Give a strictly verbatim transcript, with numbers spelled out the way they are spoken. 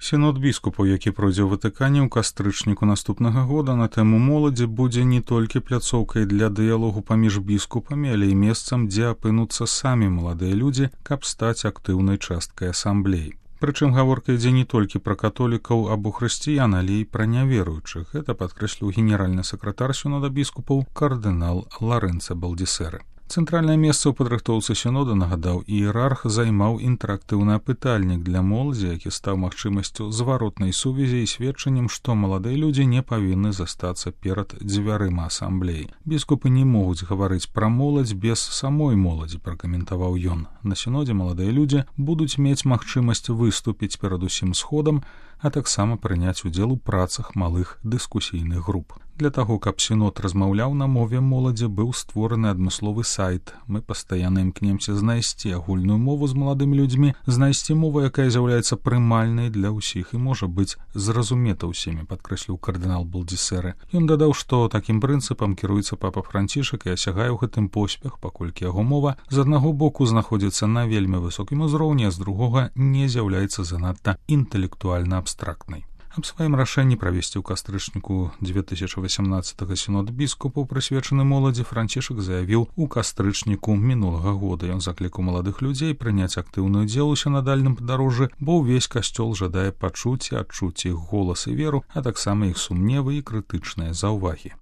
Сінод біскупаў, які пройдзе ў Ватыкане ў кастрычніку наступнага года на тэму моладзі, будзе не толькі пляцоўкай для дыялогу паміж біскупамі, але і месцам, дзе апынуцца самі маладыя людзі, каб стаць актыўнай часткай асамблеі. Прычым гаворка ідзе не толькі пра католікаў або хрысціян, але і пра няверуючых. Гэта падкрэсліў генеральны сакратар сінода біскупаў кардынал Ларэнца Балдісеры. Цэнтральнае месца ў падрыхтоўцы сінода, нагадаў, іерарх займаў інтэрактыўны апытальнік для моладзі, які стаў магчымасцю зваротнай сувязі і сведчаннем, што маладыя людзі не павінны застацца перад дзвярыма асамблеі. Біскупы не могуць гаварыць пра моладзь без самой моладзі, пракаментаваў ён. На сінодзе маладыя людзі будуць мець магчымасць выступіць перад усім сходам, а таксама прыняць удзел у працах малых дыскусійных груп. Для таго, каб сінод размаўляў на мове моладзі, быў створаны адмысловы сайт. Мы пастаянна імкнемся знайсці агульную мову з маладымі людзьмі, знайсці мову, якая з'яўляецца прымальнай для ўсіх і можа быць зразумета ўсімі, падкрэсліў кардынал Балдісеры. Ён дадаў, што такім прынцыпам кіруецца папа Францішак і асягае ў гэтым поспех, паколькі яго мова з аднаго боку знаходзіцца на вельмі высокім узроўні, а з другога не з'яўляецца занадта інтэлектуальна абстрактнай. Аб сваім рашэнні правесці ў кастрычніку дзве тысячы васямнаццатага сінод біскупаў, прысвечаны моладзі, Францішак заявіў у кастрычніку мінулага года. Ён заклікаў маладых людзей прыняць актыўны удзел у сінадальным падарожжы, бо ўвесь касцёл жадае пачуць і адчуць іх голас і веру, а таксама іх сумневы і крытычныя заўвагі.